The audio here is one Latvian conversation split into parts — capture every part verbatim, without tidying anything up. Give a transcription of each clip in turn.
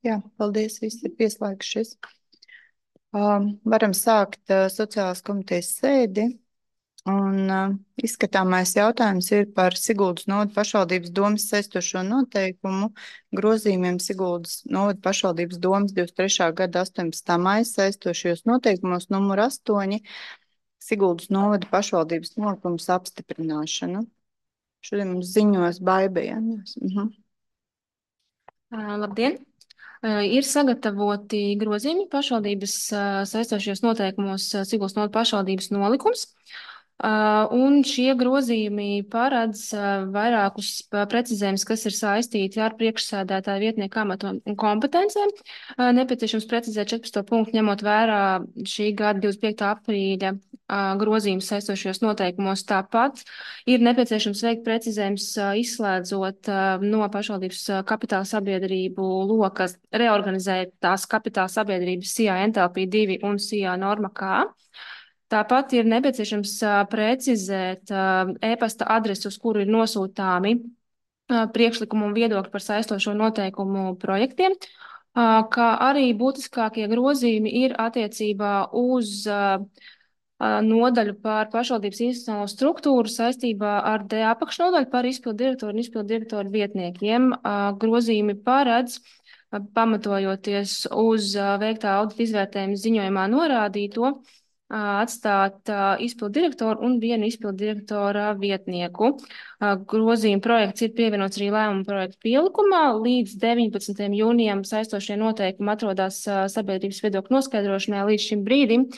Jā, paldies, visi ir pieslēgšies. Um, varam sākt uh, sociālās komitejas sēdi. Un uh, izskatāmais jautājums ir par Siguldas novada pašvaldības domas saistošo noteikumu grozījumiem Siguldas novada pašvaldības domas divdesmit trešā gada astoņpadsmitā maija saistošajos noteikumos numur astoņi Siguldas novada pašvaldības nolikums apstiprināšanu. Šodien mums ziņos Baibējāņos. Mhm. Uh, labdien! Uh, ir sagatavoti grozījumi pašvaldības uh, saistošajos noteikumos uh, Siguldas novada pašvaldības nolikums. Uh, un šie grozījumi paredz uh, vairākus uh, precizējumus, kas ir saistīti ar priekšsēdētāju vietnieku amatu un kompetencēm. Uh, nepieciešams precizēt četrpadsmito punktu, ņemot vērā šī gada divdesmit piektā aprīļa uh, grozījumus saistošajos noteikumos. Tāpat ir nepieciešams veikt precizējums uh, izslēdzot uh, no pašvaldības uh, kapitāla sabiedrību lokas reorganizētās kapitāla sabiedrības S I A N T L P divi un S I A Norma K. Tāpat ir nepieciešams uh, precizēt uh, e-pasta adresi, uz kuru ir nosūtāmi uh, priekšlikumu un viedokļi par saistošo noteikumu projektiem, uh, kā arī būtiskākie grozījumi ir attiecībā uz uh, uh, nodaļu par pašvaldības institucionālo struktūru saistībā ar D apakšnodaļu par izpildu direktoru un izpildu direktoru vietniekiem. Uh, grozījumi paredz, uh, pamatojoties uz uh, veiktā audita izvērtējuma ziņojumā norādīto, atstāt uh, izpildu direktoru un vienu izpildu direktora vietnieku. Uh, grozījuma projekts ir pievienots arī lēmuma projekta pielikumā. Līdz deviņpadsmitajam jūnijam saistošie noteikumi atrodas uh, sabiedrības viedokļu noskaidrošanai. Līdz šim brīdim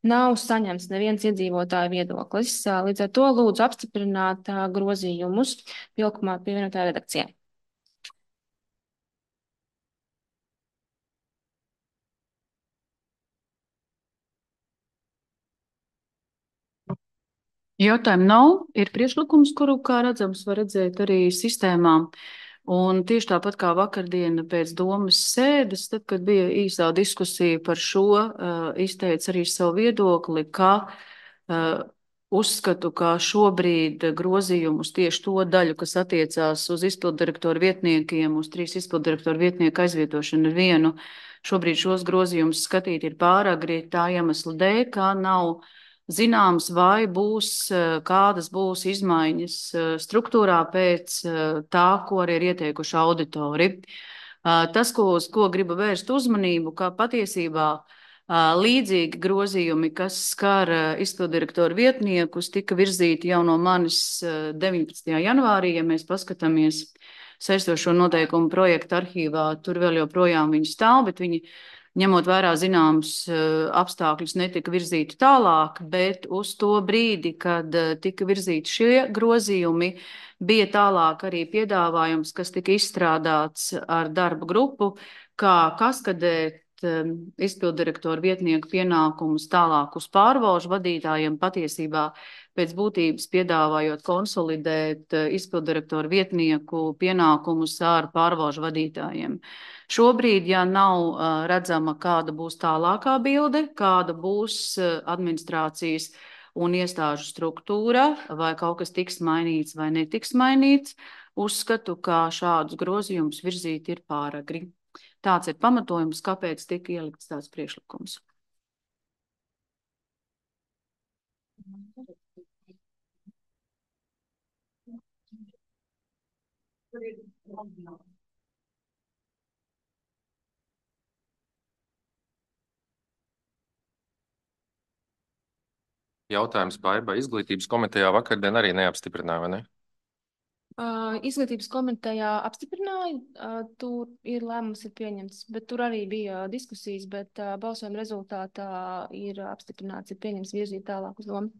nav saņemts neviens iedzīvotāju viedoklis. Uh, līdz ar to lūdzu apstiprināt uh, grozījumus pielikumā pievienotā redakcijā. Jautājumu nav, ir priekšlikums, kuru, kā redzams, var redzēt arī sistēmā. Un tieši tāpat kā vakardiena pēc domas sēdes, tad, kad bija īsā diskusija par šo, uh, izteica arī savu viedokli, ka uh, uzskatu, ka šobrīd grozījumus tieši to daļu, kas attiecās uz izpildirektoru vietniekiem, uz trīs izpildirektoru vietnieku aizvietošanu ar vienu, šobrīd šos grozījumus skatīt ir pāragri tā iemesla dēļ, kā nav zināms, vai būs, kādas būs izmaiņas struktūrā pēc tā, ko arī ir ieteikuši auditori. Tas, ko, uz ko gribu vērst uzmanību, ka patiesībā līdzīgi grozījumi, kas skar izpildirektoru vietniekus, tika virzīti jau no manis deviņpadsmitajā janvārī, ja mēs paskatāmies saistošo noteikumu projektu arhīvā, tur vēl joprojām viņi stāv, bet viņi ņemot vērā zināmus apstākļus, netika virzīti tālāk, bet uz to brīdi, kad tika virzīti šie grozījumi, bija tālāk arī piedāvājums, kas tika izstrādāts ar darba grupu, kā kaskadēt izpildirektoru vietnieku pienākumus tālāk uz pārvalžu vadītājiem, patiesībā pēc būtības piedāvājot konsolidēt izpildirektoru vietnieku pienākumus ar pārvalžu vadītājiem. Šobrīd, ja nav uh, redzama, kāda būs tālākā bilde, kāda būs uh, administrācijas un iestāžu struktūra, vai kaut kas tiks mainīts vai netiks mainīts, uzskatu, ka šādus grozījumus virzīt ir pāragri. Tāds ir pamatojums, kāpēc tika ielikts tāds priekšlikums. Jautājums Baiba. Izglītības komitejā vakardien arī neapstiprināja, vai ne? Uh, izglītības komitejā apstiprināja, uh, tur ir lēmums ir pieņemts, bet tur arī bija diskusijas, bet uh, balsojuma rezultātā ir apstiprināts, ir pieņemts virzīt tālāk uz domu.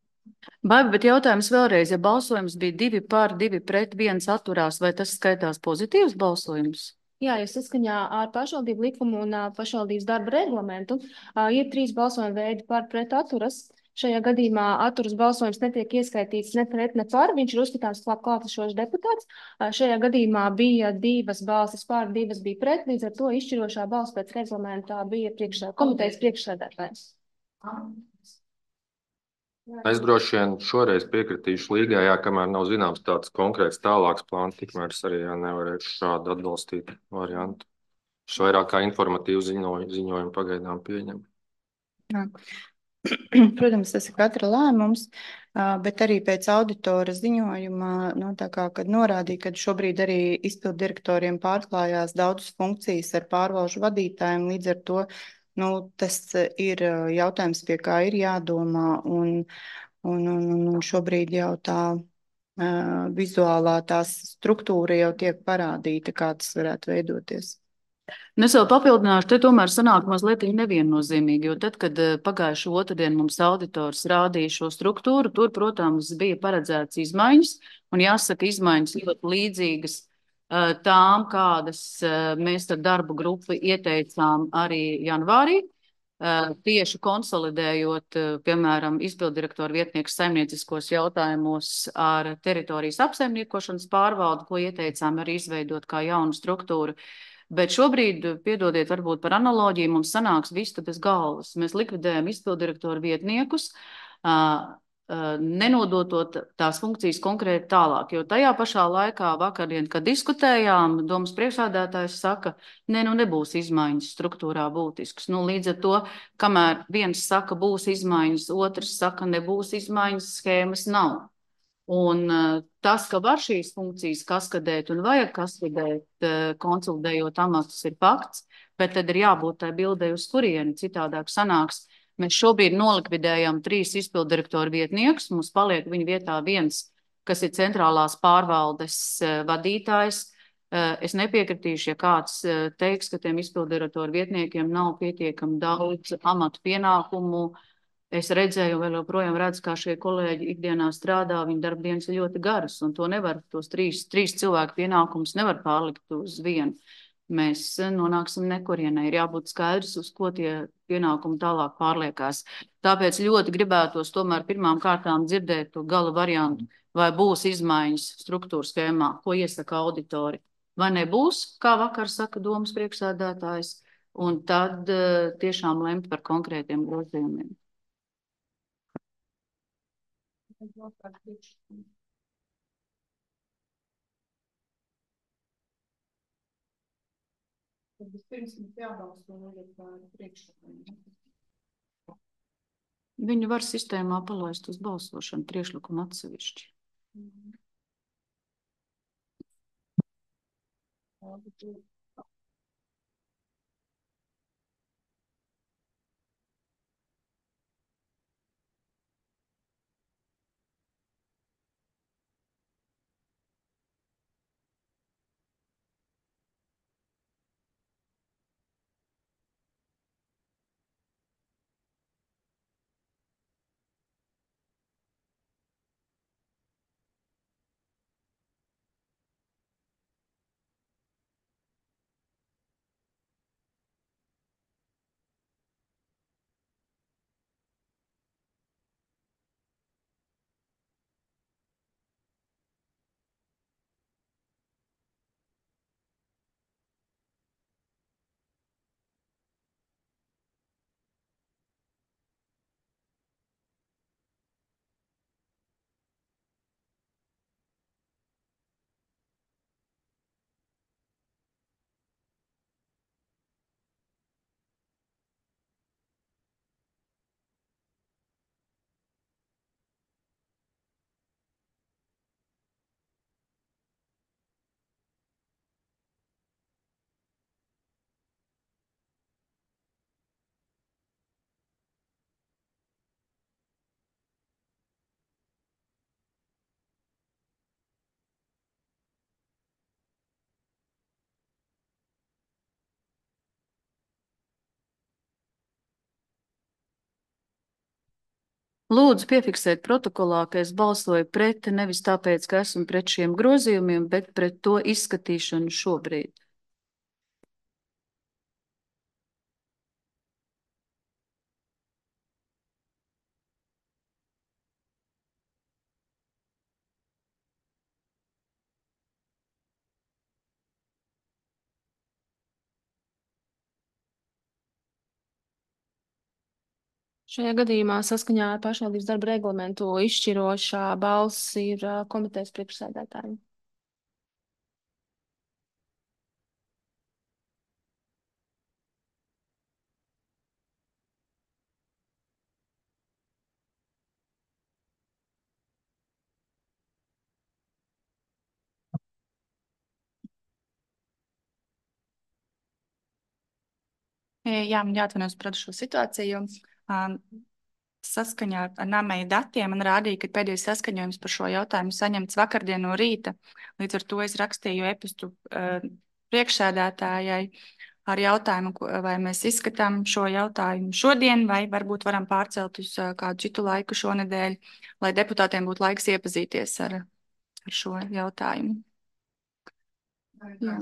Baiba, bet jautājums vēlreiz, ja balsojums bija divi par, divi pret, viens atturās, vai tas skaitās pozitīvs balsojums? Jā, jo saskaņā ar pašvaldību likumu un uh, pašvaldības darba reglamentu uh, ir trīs balsojuma veidi par pret atturas. Šajā gadījumā atturas balsojums netiek ieskaitīts ne pret, ne par. Viņš ir uzskatāms klāt klātesošs deputāts. Šajā gadījumā bija divas balsis par, divas bija pret. Līdz ar to izšķirošā balss pēc reglamentā bija priekšsēd, komitejas priekšsēdētājs. Es droši vien šoreiz piekritīšu līgai, jā, kamēr nav zināms tāds konkrēts tālāks plāns, tikmēr es arī jā, nevarēšu šādu atbalstīt variantu. Es vairāk kā informatīvu ziņojumu, ziņojumu pagaidām pieņem. Jā. Protams, tas ir katra lēmums, bet arī pēc auditora ziņojuma, nu, tā kā, kad norādīja, ka šobrīd arī izpildu direktoriem pārklājās daudzas funkcijas ar pārvalžu vadītājiem, līdz ar to, nu, tas ir jautājums, pie kā ir jādomā, un, un, un, un šobrīd jau tā uh, vizuālā tās struktūra jau tiek parādīta, kā tas varētu veidoties. Es vēl papildināšu, te tomēr sanāk mazliet neviennozīmīgi, jo tad, kad pagājušo otrdien mums auditors rādīja šo struktūru, tur, protams, bija paredzēts izmaiņas, un jāsaka, izmaiņas ļoti līdzīgas tām, kādas mēs ar darbu grupu ieteicām arī janvārī, tieši konsolidējot, piemēram, izpildirektoru vietnieku saimnieciskos jautājumos ar teritorijas apsaimniekošanas pārvaldu, ko ieteicām arī izveidot kā jaunu struktūru. Bet šobrīd, piedodiet, varbūt par analoģiju, mums sanāks vista bez galvas. Mēs likvidējam izpildirektoru vietniekus, nenodotot tās funkcijas konkrēti tālāk. Jo tajā pašā laikā vakardien, kad diskutējām, domas priekšsēdētājs saka, ne, nu nebūs izmaiņas struktūrā būtiskas. Nu, līdz ar to, kamēr viens saka, būs izmaiņas, otrs saka, nebūs izmaiņas, schēmas nav. Un tas, ka var šīs funkcijas kaskadēt un vajag kaskadēt, konsolidējot amatus, ir fakts, bet tad ir jābūt tai bildei uz kurieni, citādāk sanāks. Mēs šobrīd nolikvidējam trīs izpildirektoru vietniekus, mums paliek viņa vietā viens, kas ir centrālās pārvaldes vadītājs. Es nepiekritīšu, ja kāds teiks, ka tiem izpildirektoru vietniekiem nav pietiekami daudz amatu pienākumu. Es redzēju, vēl joprojām redzu, kā šie kolēģi ikdienā strādā, viņa darbdienas ir ļoti garas, un to nevar, tos trīs, trīs cilvēku pienākumus nevar pārlikt uz vienu. Mēs nonāksim nekurienē, ir jābūt skaidrs, uz ko tie pienākumi tālāk pārliekās. Tāpēc ļoti gribētos tomēr pirmām kārtām dzirdēt to gala variantu, vai būs izmaiņas struktūra schēmā, ko iesaka auditori, vai nebūs, kā vakar saka domas priekšsēdētājs, un tad uh, tiešām lemt par konkrētiem grozījumiem. Viņu var sistēmā palaist uz balsošanu priekšlikumu atsevišķi. Lūdzu, piefiksēt protokolā, ka es balsoju pret, nevis tāpēc, ka esmu pret šiem grozījumiem, bet pret to izskatīšanu šobrīd. Šajā gadījumā saskaņā ar pašvaldības darba reglamentu izšķirošā balss ir komitejas priekšsēdētājiem. Jā, man jāatvainojas par šo situāciju. Um, Saskaņā ar Namēja datiem man rādīja, ka pēdējais saskaņojums par šo jautājumu saņemts vakardien no rīta. Līdz ar to es rakstīju e-pastu uh, priekšsēdētājai ar jautājumu, vai mēs izskatām šo jautājumu šodien, vai varbūt varam pārcelt uz uh, kādu citu laiku šonedēļ, lai deputātiem būtu laiks iepazīties ar, ar šo jautājumu. Jā.